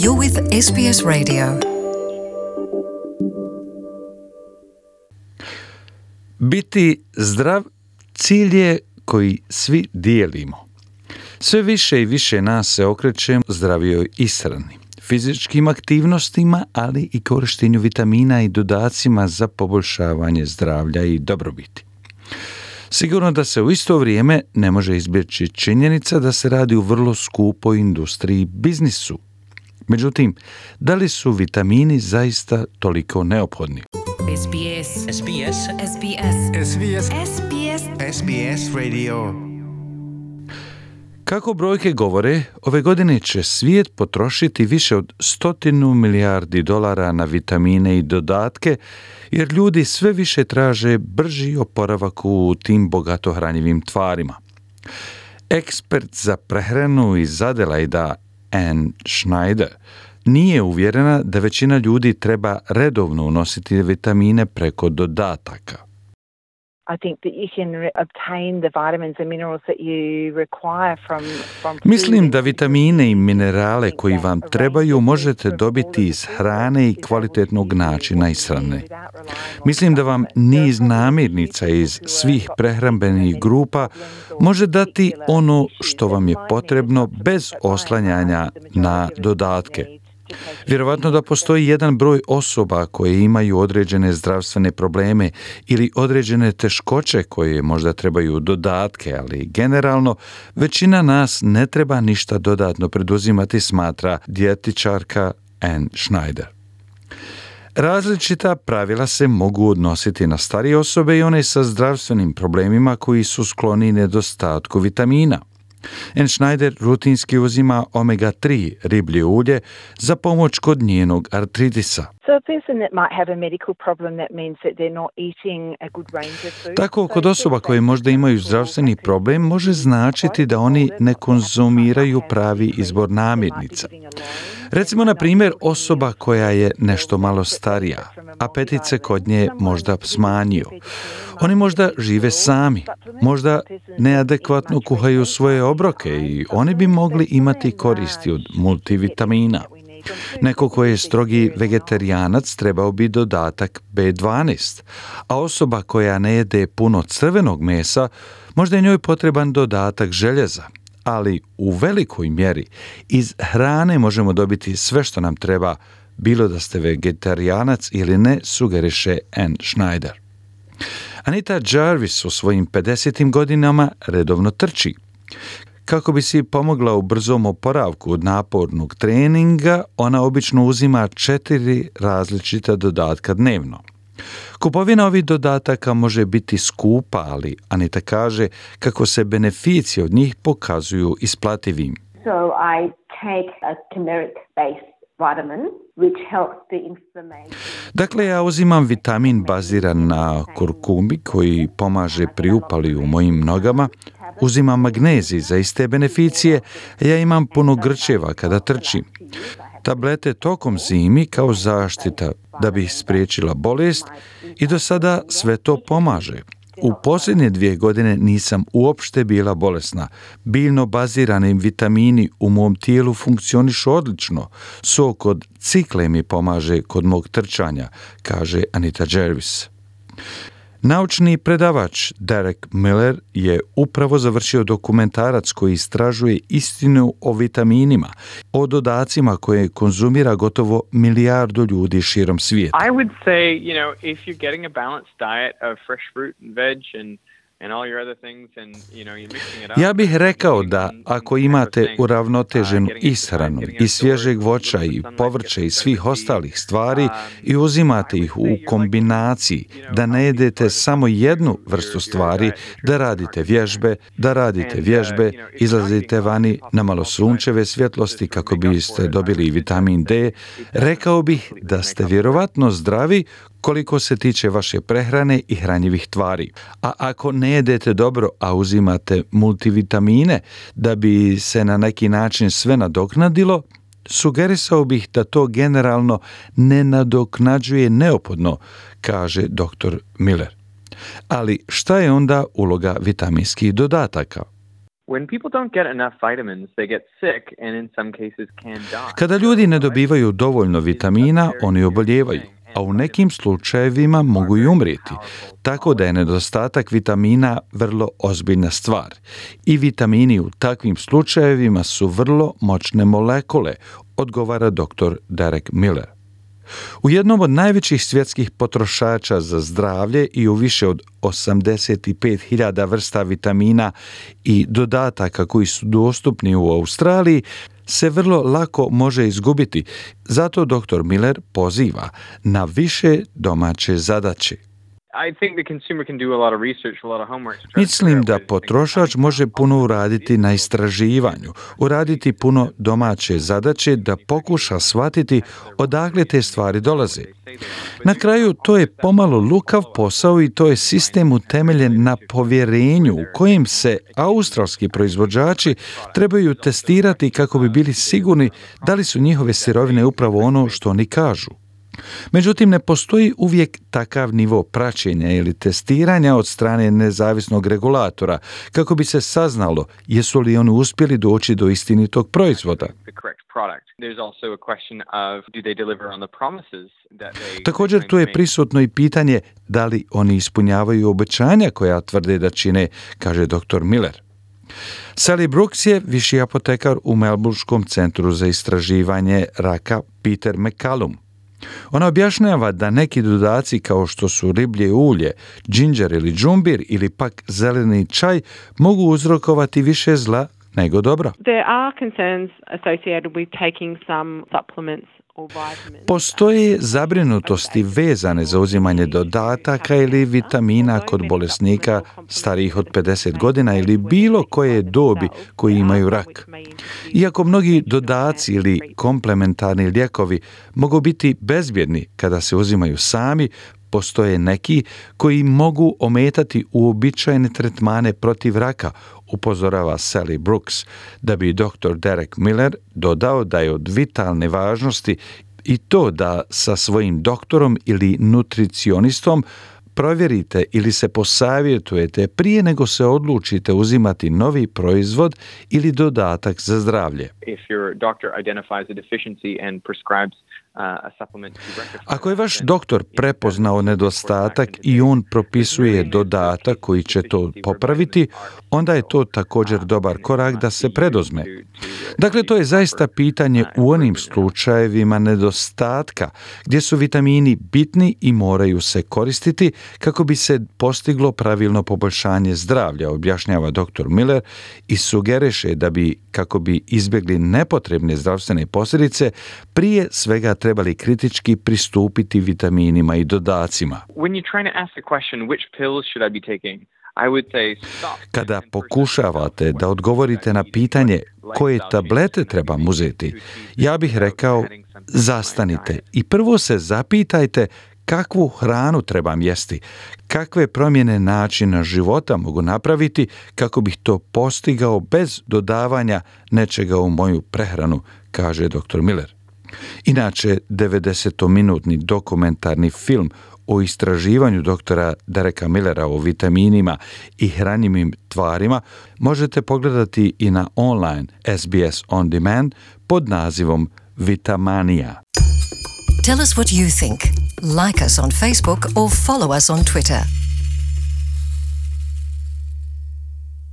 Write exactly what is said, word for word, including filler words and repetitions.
You're with S B S Radio. Biti zdrav cilj je koji svi dijelimo. Sve više i više nas se okreće zdravijoj ishrani, fizičkim aktivnostima, ali i korištenju vitamina i dodacima za poboljšavanje zdravlja i dobrobiti. Sigurno da se u isto vrijeme ne može izbjeći činjenica da se radi u vrlo skupoj industriji biznisu. Međutim, da li su vitamini zaista toliko neophodni? S B S. S B S. S B S. S B S. S B S. S B S Radio. Kako brojke govore, ove godine će svijet potrošiti više od stotinu milijardi dolara na vitamine i dodatke, jer ljudi sve više traže brži oporavak u tim bogato hranjivim tvarima. Ekspert za prehranu iz Adelaida Anne Schneider nije uvjerena da većina ljudi treba redovno unositi vitamine preko dodataka. I think that you can re- obtain the vitamins and minerals that you require from from food. Mislim da vitamine i minerale koji vam trebaju možete dobiti iz hrane i kvalitetnog načina ishrane. Mislim da vam niz namirnica iz svih prehrambenih grupa može dati ono što vam je potrebno bez oslanjanja na dodatke. Vjerovatno da postoji jedan broj osoba koje imaju određene zdravstvene probleme ili određene teškoće koje možda trebaju dodatke, ali generalno većina nas ne treba ništa dodatno preduzimati, smatra dijetičarka Anne Schneider. Različita pravila se mogu odnositi na starije osobe i one sa zdravstvenim problemima koji su skloni nedostatku vitamina. Anne Schneider rutinski uzima omega tri riblje ulje za pomoć kod njenog artritisa. So a person that might have a medical problem, that means that they're not eating a good range of food. Tako, kod osoba koje možda imaju zdravstveni problem, može značiti da oni ne konzumiraju pravi izbor namirnica. Recimo, na primjer, osoba koja je nešto malo starija, apetit se kod nje možda smanjio. Oni možda žive sami, možda neadekvatno kuhaju svoje obroke i oni bi mogli imati koristi od multivitamina. Neko ko je strogi vegetarijanac trebao bi dodatak be dvanaest, a osoba koja ne jede puno crvenog mesa, možda je njoj potreban dodatak željeza. Ali u velikoj mjeri iz hrane možemo dobiti sve što nam treba, bilo da ste vegetarijanac ili ne, sugeriše Anne Schneider. Anita Jarvis u svojim pedesetim godinama redovno trči. Kako bi si pomogla u brzom oporavku od napornog treninga, ona obično uzima četiri različita dodatka dnevno. Kupovina ovih dodataka može biti skupa, ali Anita kaže kako se beneficije od njih pokazuju isplativim. So I take a turmeric-based vitamin which helps the inflammation. Dakle, ja uzimam vitamin baziran na kurkumi koji pomaže pri upali u mojim nogama, uzimam magnezij za iste beneficije, ja imam puno grčeva kada trčim. Tablete tokom zimi kao zaštita da bi spriječila bolest i do sada sve to pomaže. U posljednje dvije godine nisam uopšte bila bolesna. Biljno bazirani vitamini u mom tijelu funkcionišu odlično. Sok od cikle mi pomaže kod mog trčanja, kaže Anita Jarvis. Naučni predavač Derek Miller je upravo završio dokumentarac koji istražuje istinu o vitaminima, o dodacima koje konzumira gotovo milijardu ljudi širom svijeta. I would say, you know, if you're getting a balanced diet of fresh fruit and veg and and all your other things and you know you're mixing it up. Ja bih rekao da ako imate uravnoteženu ishranu i svježeg voća i povrća i svih ostalih stvari i uzimate ih u kombinaciji, da ne jedete samo jednu vrstu stvari, da radite vježbe, da radite vježbe, izlazite vani na malo sunčeve svjetlosti kako biste dobili vitamin D, rekao bih da ste vjerovatno zdravi koliko se tiče vaše prehrane i hranjivih tvari. A ako ne jedete dobro, a uzimate multivitamine da bi se na neki način sve nadoknadilo, sugerisao bih da to generalno ne nadoknađuje neophodno, kaže doktor Miller. Ali šta je onda uloga vitaminskih dodataka? When people don't get enough vitamins, they get sick and in some cases can die. Kada ljudi ne dobivaju dovoljno vitamina, oni obolijevaju, a u nekim slučajevima mogu i umrijeti. Tako da je nedostatak vitamina vrlo ozbiljna stvar. I vitamini u takvim slučajevima su vrlo moćne molekule, odgovara doktor Derek Miller. U jednom od najvećih svjetskih potrošača za zdravlje i u više od osamdeset pet hiljada vrsta vitamina i dodataka koji su dostupni u Australiji, se vrlo lako može izgubiti. Zato doktor Miller poziva na više domaće zadaće. Mislim da potrošač može puno uraditi na istraživanju, uraditi puno domaće zadaće da pokuša shvatiti odakle te stvari dolaze. Na kraju to je pomalo lukav posao i to je sistem utemeljen na povjerenju u kojem se australski proizvođači trebaju testirati kako bi bili sigurni da li su njihove sirovine upravo ono što oni kažu. Međutim, ne postoji uvijek takav nivo praćenja ili testiranja od strane nezavisnog regulatora kako bi se saznalo jesu li oni uspjeli doći do istinitog proizvoda. Također tu je prisutno i pitanje da li oni ispunjavaju obećanja koja tvrde da čine, kaže doktor Miller. Sally Brooks je viši apotekar u Melbourneskom centru za istraživanje raka Peter McCallum. Ona objašnjava da neki dodaci kao što su riblje ulje, džinđer ili džumbir ili pak zeleni čaj mogu uzrokovati više zla nego dobra. There are concerns associated with taking some supplements. Postoje zabrinutosti vezane za uzimanje dodataka ili vitamina kod bolesnika starijih od pedeset godina ili bilo koje dobi koji imaju rak. Iako mnogi dodaci ili komplementarni lijekovi mogu biti bezbjedni kada se uzimaju sami, postoje neki koji mogu ometati uobičajene tretmane protiv raka, upozorava Sally Brooks, da bi doktor Derek Miller dodao da je od vitalne važnosti i to da sa svojim doktorom ili nutricionistom provjerite ili se posavjetujete prije nego se odlučite uzimati novi proizvod ili dodatak za zdravlje. If your doctor identifies a deficiency and prescribes Ako je vaš doktor prepoznao nedostatak i on propisuje dodatak koji će to popraviti, onda je to također dobar korak da se predozme. Dakle, to je zaista pitanje u onim slučajevima nedostatka gdje su vitamini bitni i moraju se koristiti kako bi se postiglo pravilno poboljšanje zdravlja, objašnjava doktor Miller i sugeriše da bi, kako bi izbjegli nepotrebne zdravstvene posljedice, prije svega trebali kritički pristupiti vitaminima i dodacima. Kada pokušavate da odgovorite na pitanje koje tablete trebam uzeti, ja bih rekao zastanite i prvo se zapitajte kakvu hranu trebam jesti, kakve promjene načina života mogu napraviti kako bih to postigao bez dodavanja nečega u moju prehranu, kaže doktor Miller. Inače, devedesetminutni dokumentarni film o istraživanju doktora Dereka Millera o vitaminima i hranjivim tvarima možete pogledati i na online S B S On Demand pod nazivom Vitamania. Tell us what you think. Like us on Facebook or follow us on Twitter.